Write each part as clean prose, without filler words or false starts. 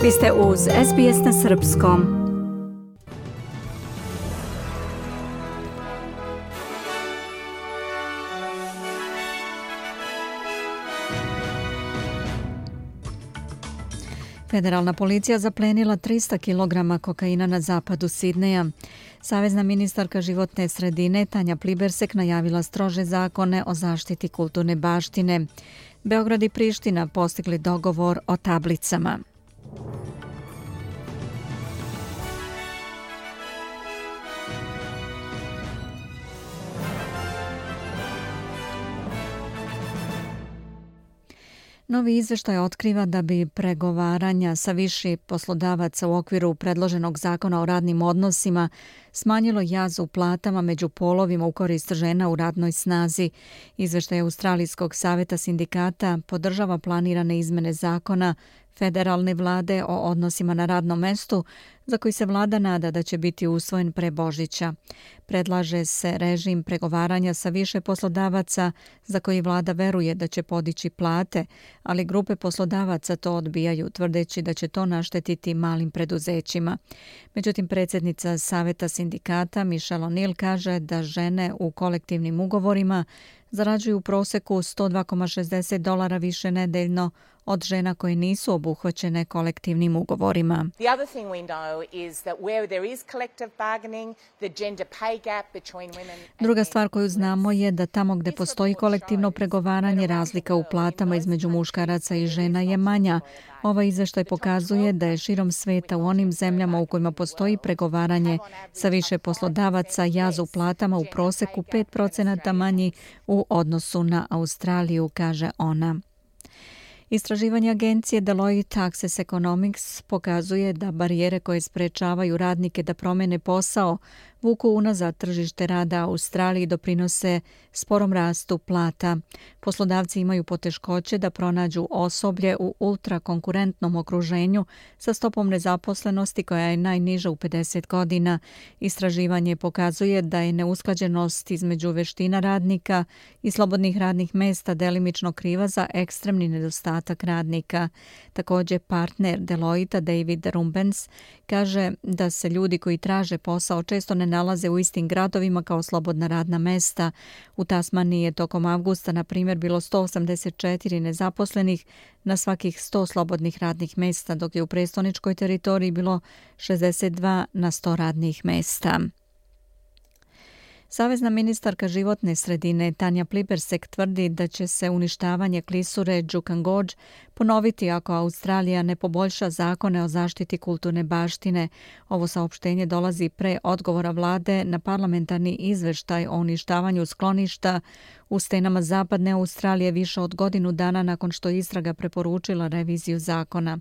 Vi ste uz SBS na srpskom. Federalna policija zaplenila 300 kg kokaina na zapadu Sidneja. Savezna ministarka životne sredine Tanja Plibersek najavila strože zakone o zaštiti kulturne baštine. Beograd i Priština postigli dogovor o tablicama. Novi izveštaj otkriva da bi pregovaranja sa više poslodavaca u okviru predloženog zakona o radnim odnosima smanjilo jaz u platama među polovima u korist žena u radnoj snazi. Izveštaj Australijskog saveta sindikata podržava planirane izmene zakona federalne vlade o odnosima na radnom mestu, za koji se vlada nada da će biti usvojen pre Božića. Predlaže se režim pregovaranja sa više poslodavaca za koji vlada veruje da će podići plate, ali grupe poslodavaca to odbijaju, tvrdeći da će to naštetiti malim preduzećima. Međutim, predsjednica Saveta sindikata Michelle O'Neill kaže da žene u kolektivnim ugovorima zarađuju u proseku $102,60 više nedeljno od žena koje nisu obuhvaćene kolektivnim ugovorima. Druga stvar koju znamo je da tamo gdje postoji kolektivno pregovaranje, razlika u platama između muškaraca i žena je manja. Ovaj izveštaj pokazuje da je širom sveta u onim zemljama u kojima postoji pregovaranje sa više poslodavaca jaz u platama u proseku 5% manji u odnosu na Australiju, kaže ona. Istraživanje agencije Deloitte Access Economics pokazuje da barijere koje sprečavaju radnike da promene posao vuku unazad tržište rada Australiji i doprinose sporom rastu plata. Poslodavci imaju poteškoće da pronađu osoblje u ultrakonkurentnom okruženju sa stopom nezaposlenosti koja je najniža u 50 godina. Istraživanje pokazuje da je neusklađenost između veština radnika i slobodnih radnih mesta delimično kriva za ekstremni nedostatak radnika. Također partner Deloitte David Rumbens kaže da se ljudi koji traže posao često ne nalaze u istim gradovima kao slobodna radna mesta. U Tasmaniji je tokom avgusta, na primjer, bilo 184 nezaposlenih na svakih 100 slobodnih radnih mesta, dok je u prestoničkoj teritoriji bilo 62 na 100 radnih mesta. Savezna ministarka životne sredine Tanja Plibersek tvrdi da će se uništavanje klisure Juukan Gorge ponoviti ako Australija ne poboljša zakone o zaštiti kulturne baštine. Ovo saopštenje dolazi pre odgovora vlade na parlamentarni izveštaj o uništavanju skloništa u stenama zapadne Australije više od godinu dana nakon što je istraga preporučila reviziju zakona.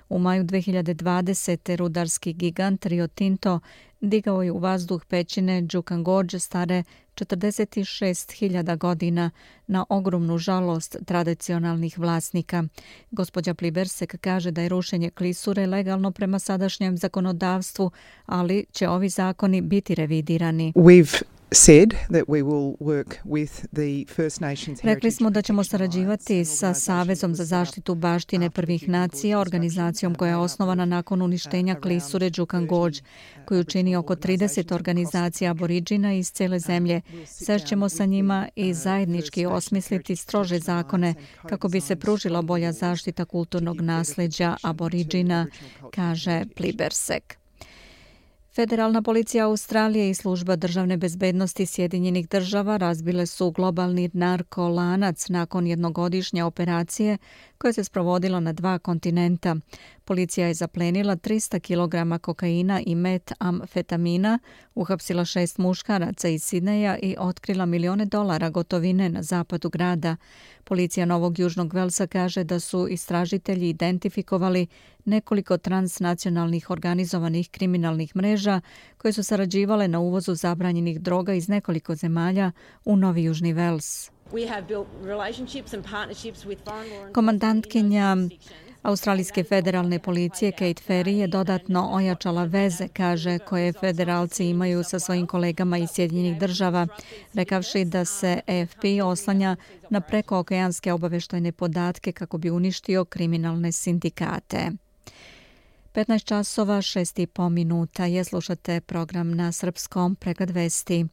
U maju 2020. rudarski gigant Rio Tinto digao je u vazduh pećine Juukan Gorge stare 46.000 godina na ogromnu žalost tradicionalnih vlasnika. Gospođa Plibersek kaže da je rušenje klisure legalno prema sadašnjem zakonodavstvu, ali će ovi zakoni biti revidirani. Rekli smo da ćemo sarađivati sa Savezom za zaštitu baštine prvih nacija, organizacijom koja je osnovana nakon uništenja klisure Juukan Gorge, koju čini oko 30 organizacija aboriđina iz cijele zemlje. Sešćemo sa njima i zajednički osmisliti strože zakone kako bi se pružila bolja zaštita kulturnog nasljeđa aboriđina, kaže Plibersek. Federalna policija Australije i služba državne bezbednosti Sjedinjenih država razbile su globalni narkolanac nakon jednogodišnje operacije koja se sprovodila na 2 kontinenta. Policija je zaplenila 300 kg kokaina i metamfetamina, uhapsila 6 muškaraca iz Sidneja i otkrila milione dolara gotovine na zapadu grada. Policija Novog Južnog Velsa kaže da su istražitelji identifikovali nekoliko transnacionalnih organizovanih kriminalnih mreža koje su sarađivale na uvozu zabranjenih droga iz nekoliko zemalja u Novi Južni Vels. Komandantkinja Australijske federalne policije Kate Ferry je dodatno ojačala veze, kaže, koje federalci imaju sa svojim kolegama iz Sjedinjenih država, rekavši da se AFP oslanja na prekookeanske obaveštajne podatke kako bi uništio kriminalne sindikate. 15 časova 6,5 minuta je, slušate program na srpskom, pregled vesti.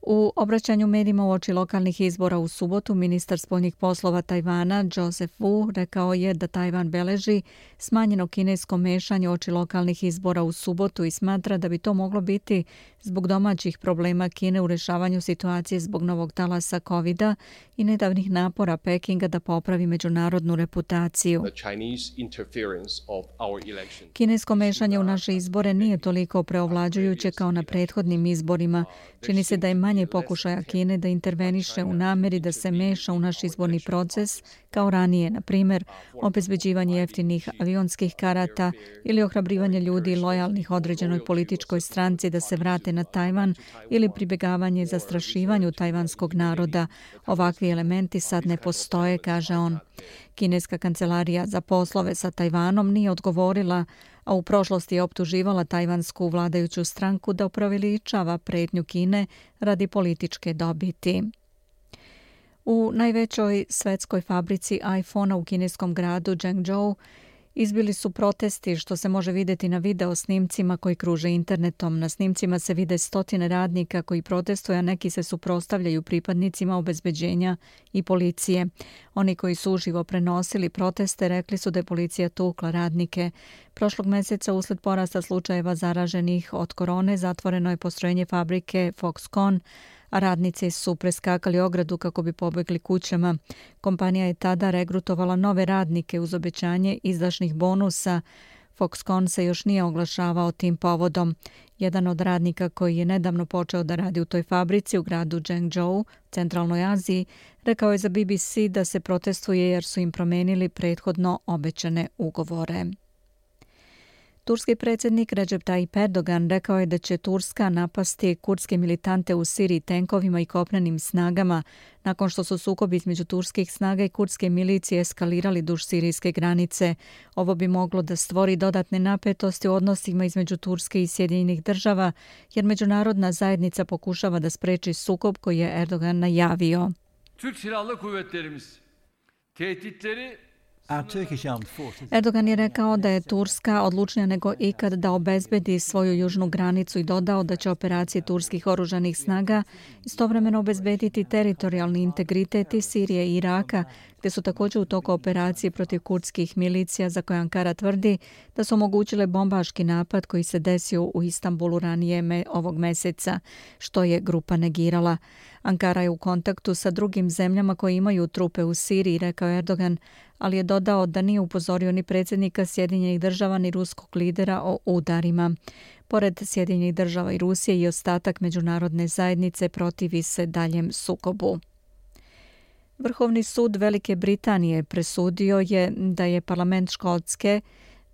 U obraćanju medijima uoči lokalnih izbora u subotu, ministar spoljnih poslova Tajvana Joseph Wu rekao je da Tajvan beleži smanjeno kinesko mešanje uoči lokalnih izbora u subotu i smatra da bi to moglo biti zbog domaćih problema Kine u rešavanju situacije zbog novog talasa COVID-a i nedavnih napora Pekinga da popravi međunarodnu reputaciju. Kinesko mešanje u naše izbore nije toliko preovlađujuće kao na prethodnim izborima. Čini se da je manje pokušaja Kine da interveniše u nameri da se meša u naš izborni proces kao ranije, na primjer, obezbeđivanje jeftinih avionskih karata ili ohrabrivanje ljudi lojalnih određenoj političkoj stranci da se vrate na Tajvan ili pribjegavanje zastrašivanju tajvanskog naroda. Ovakvi elementi sad ne postoje, kaže on. Kineska kancelarija za poslove sa Tajvanom nije odgovorila, a u prošlosti je optuživala tajvansku vladajuću stranku da upreveličava pretnju Kine radi političke dobiti. U najvećoj svetskoj fabrici iPhone-a u kineskom gradu Zhengzhou izbili su protesti, što se može vidjeti na video snimcima koji kruže internetom. Na snimcima se vide stotine radnika koji protestuju, a neki se suprotstavljaju pripadnicima obezbeđenja i policije. Oni koji su uživo prenosili proteste rekli su da je policija tukla radnike. Prošlog mjeseca usled porasta slučajeva zaraženih od korone zatvoreno je postrojenje fabrike Foxconn, a radnici su preskakali ogradu kako bi pobjegli kućama. Kompanija je tada regrutovala nove radnike uz obećanje izdašnih bonusa. Foxconn se još nije oglašavao tim povodom. Jedan od radnika koji je nedavno počeo da radi u toj fabrici u gradu Zhengzhou, centralnoj Aziji, rekao je za BBC da se protestuje jer su im promenili prethodno obećane ugovore. Turski predsjednik Recep Tayyip Erdogan rekao je da će Turska napasti kurdske militante u Siriji tenkovima i kopnenim snagama nakon što su sukobi između turskih snaga i kurdske milicije eskalirali duž sirijske granice. Ovo bi moglo da stvori dodatne napetosti u odnosima između Turske i Sjedinjenih država, jer međunarodna zajednica pokušava da spreči sukob koji je Erdogan najavio. Türk Silahlı Kuvvetlerimiz tehditleri Erdogan je rekao da je Turska odlučnija nego ikad da obezbedi svoju južnu granicu i dodao da će operacije turskih oružanih snaga istovremeno obezbediti teritorijalni integritet i Sirije i Iraka, gdje su također u toku operacije protiv kurdskih milicija za koje Ankara tvrdi da su omogućile bombaški napad koji se desio u Istanbulu ranije ovog mjeseca, što je grupa negirala. Ankara je u kontaktu sa drugim zemljama koji imaju trupe u Siriji, rekao Erdogan, ali je dodao da nije upozorio ni predsjednika Sjedinjenih država ni ruskog lidera o udarima. Pored Sjedinjenih država i Rusije i ostatak međunarodne zajednice protivi se daljem sukobu. Vrhovni sud Velike Britanije presudio je da je parlament Škotske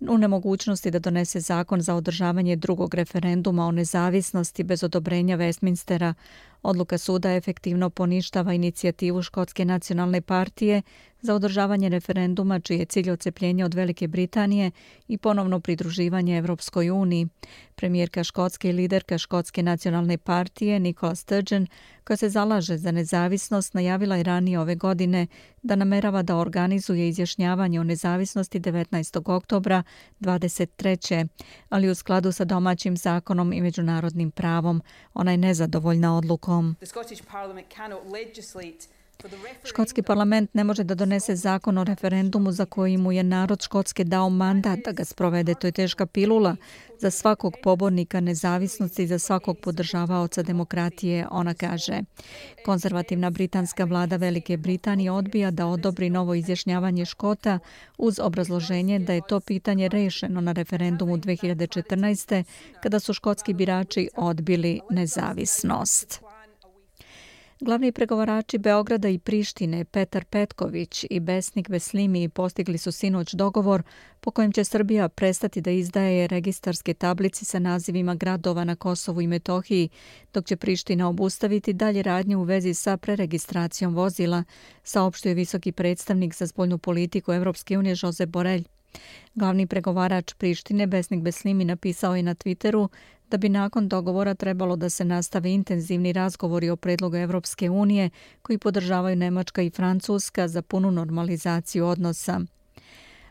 u nemogućnosti da donese zakon za održavanje drugog referenduma o nezavisnosti bez odobrenja Westminstera. Odluka suda efektivno poništava inicijativu Škotske nacionalne partije za održavanje referenduma čiji je cilj odcepljenje od Velike Britanije i ponovno pridruživanje Evropskoj uniji. Premijerka Škotske i liderka Škotske nacionalne partije Nicola Sturgeon, koja se zalaže za nezavisnost, najavila je ranije ove godine da namerava da organizuje izjašnjavanje o nezavisnosti 19. oktobra 23. ali u skladu sa domaćim zakonom i međunarodnim pravom. Ona je nezadovoljna odlukom. Škotski parlament ne može da donese zakon o referendumu za koji mu je narod Škotske dao mandat da ga sprovede. To je teška pilula za svakog pobornika nezavisnosti i za svakog podržavaoca demokratije, ona kaže. Konzervativna britanska vlada Velike Britanije odbija da odobri novo izjašnjavanje Škota uz obrazloženje da je to pitanje rešeno na referendumu 2014. kada su škotski birači odbili nezavisnost. Glavni pregovarači Beograda i Prištine Petar Petković i Besnik Beslimi postigli su sinoć dogovor po kojem će Srbija prestati da izdaje registarske tablice sa nazivima gradova na Kosovu i Metohiji, dok će Priština obustaviti dalje radnje u vezi sa preregistracijom vozila, saopštio je visoki predstavnik za spoljnu politiku Evropske unije Josep Borelj. Glavni pregovarač Prištine Besnik Beslimi napisao je na Twitteru da bi nakon dogovora trebalo da se nastave intenzivni razgovori o predlogu Evropske unije koji podržavaju Nemačka i Francuska za punu normalizaciju odnosa.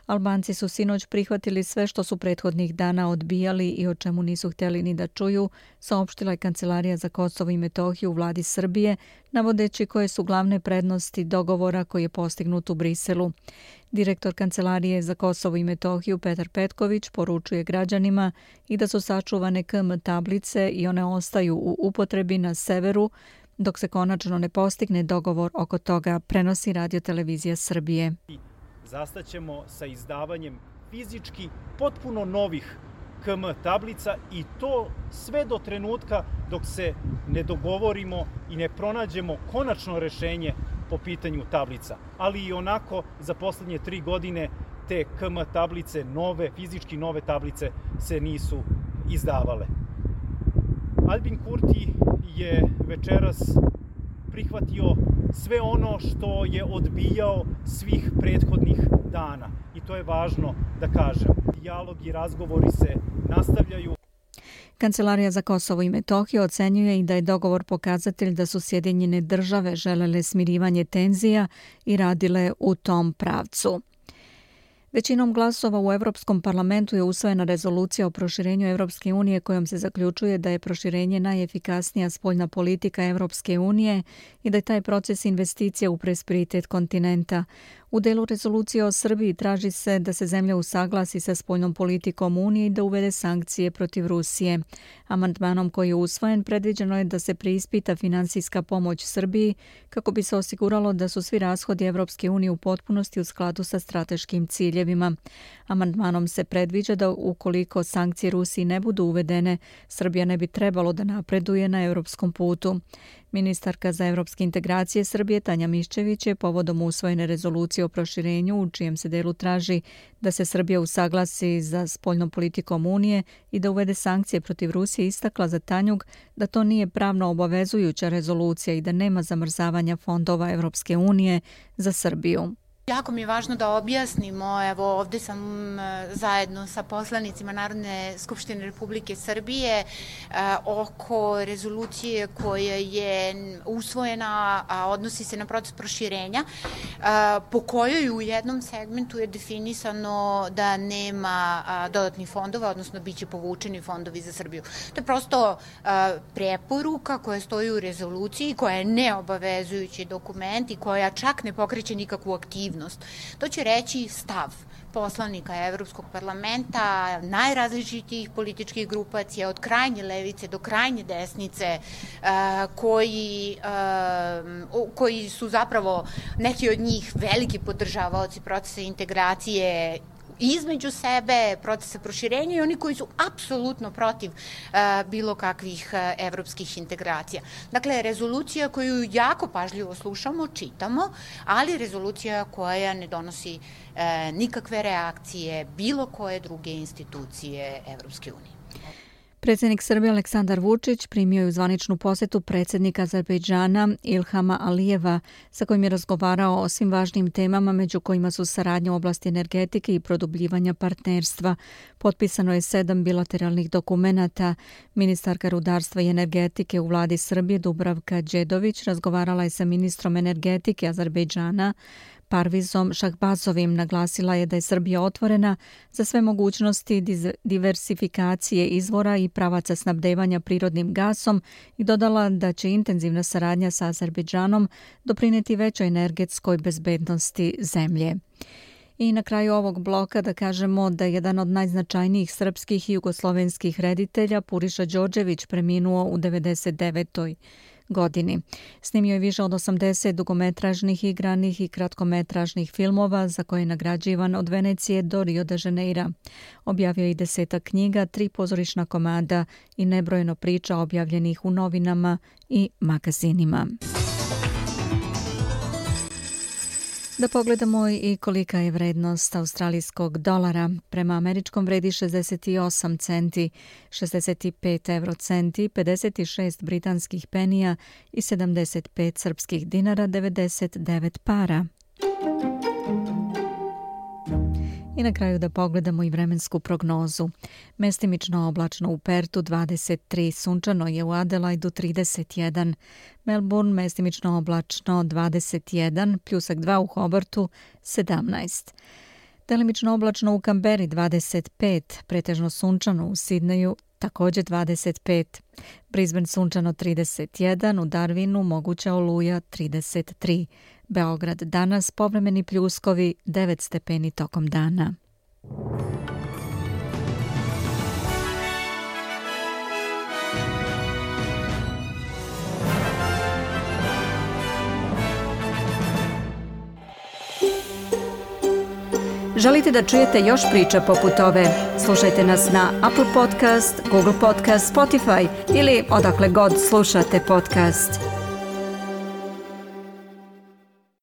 Albanci su sinoć prihvatili sve što su prethodnih dana odbijali i o čemu nisu htjeli ni da čuju, saopštila je Kancelarija za Kosovo i Metohiju u vladi Srbije, navodeći koje su glavne prednosti dogovora koji je postignut u Briselu. Direktor Kancelarije za Kosovo i Metohiju Petar Petković poručuje građanima i da su sačuvane KM tablice i one ostaju u upotrebi na severu, dok se konačno ne postigne dogovor oko toga, prenosi Radio-televizija Srbije. Zastaćemo sa izdavanjem fizički potpuno novih KM tablica i to sve do trenutka dok se ne dogovorimo i ne pronađemo konačno rešenje po pitanju tablica. Ali i onako za poslednje 3 godine te KM tablice, fizički nove tablice se nisu izdavale. Albin Kurti je večeras prihvatio sve ono što je odbijao svih prethodnih dana. I to je važno da kažem. Dijalog i razgovori se nastavljaju. Kancelarija za Kosovo i Metohiju ocenjuje i da je dogovor pokazatelj da su Sjedinjene države želele smirivanje tenzija i radile u tom pravcu. Većinom glasova u Europskom parlamentu je usvojena rezolucija o proširenju Europske unije kojom se zaključuje da je proširenje najefikasnija spoljna politika Europske unije i da je taj proces investicija u prosperitet kontinenta. U delu rezolucije o Srbiji traži se da se zemlja usaglasi sa spoljnom politikom Unije i da uvede sankcije protiv Rusije. Amandmanom koji je usvojen predviđeno je da se preispita finansijska pomoć Srbiji kako bi se osiguralo da su svi rashodi Europske unije u potpunosti u skladu sa strateškim ciljevima. Amandmanom se predviđa da ukoliko sankcije Rusiji ne budu uvedene, Srbija ne bi trebalo da napreduje na europskom putu. Ministarka za evropske integracije Srbije Tanja Miščević je povodom usvojene rezolucije o proširenju u čijem se delu traži da se Srbija usaglasi za spoljnom politikom Unije i da uvede sankcije protiv Rusije istakla za Tanjug da to nije pravno obavezujuća rezolucija i da nema zamrzavanja fondova Evropske unije za Srbiju. Jako mi je važno da objasnimo, evo ovdje sam zajedno sa poslanicima Narodne skupštine Republike Srbije oko rezolucije koja je usvojena, a odnosi se na proces proširenja, po kojoj u jednom segmentu je definisano da nema dodatnih fondova, odnosno bit će povučeni fondovi za Srbiju. To je prosto preporuka koja stoji u rezoluciji, koja je neobavezujući dokument i koja čak ne pokreće nikakvu aktivnost. To će reći stav poslanika Evropskog parlamenta, najrazličitijih političkih grupacija, od krajnje levice do krajnje desnice, koji su zapravo neki od njih veliki podržavaoci procesa integracije između sebe, procesa proširenja i oni koji su apsolutno protiv bilo kakvih evropskih integracija. Dakle, rezolucija koju jako pažljivo slušamo, čitamo, ali rezolucija koja ne donosi nikakve reakcije bilo koje druge institucije Evropske unije. Predsjednik Srbije Aleksandar Vučić primio je u zvaničnu posjetu predsjednika Azerbejdžana Ilhama Alijeva, sa kojim je razgovarao o svim važnim temama, među kojima su saradnja u oblasti energetike i produbljivanja partnerstva. Potpisano je 7 bilateralnih dokumenata. Ministarka rudarstva i energetike u vladi Srbije Dubravka Đedović razgovarala je sa ministrom energetike Azerbejdžana Parvizom Šahbazovim. Naglasila je da je Srbija otvorena za sve mogućnosti diversifikacije izvora i pravaca snabdevanja prirodnim gasom i dodala da će intenzivna saradnja sa Azerbejdžanom doprinijeti većoj energetskoj bezbednosti zemlje. I na kraju ovog bloka da kažemo da je jedan od najznačajnijih srpskih i jugoslovenskih reditelja Puriša Đorđević preminuo u 99. godini. Snimio je više od 80 dugometražnih, igranih i kratkometražnih filmova za koje je nagrađivan od Venecije do Rio de Janeira. Objavio je i 10 knjiga, 3 pozorišna komada i nebrojeno priča objavljenih u novinama i magazinima. Da pogledamo i kolika je vrednost australijskog dolara. Prema američkom vredi 68 centi, 65 eurocenti, 56 britanskih penija i 75 srpskih dinara, 99 para. I na kraju da pogledamo i vremensku prognozu. Mestimično oblačno u Pertu 23, sunčano je u Adelaidu 31, Melbourne mestimično oblačno 21, pljusak 2 u Hobartu 17. Delimično oblačno u Kamberi 25, pretežno sunčano u Sidneju također 25, Brisbane sunčano 31, u Darwinu moguća oluja 33, Beograd danas povremeni pljuskovi 9 stepeni tokom dana. Želite da čujete još priča poput ove? Slušajte nas na Apple Podcast, Google Podcast, Spotify ili odakle god slušate podcast.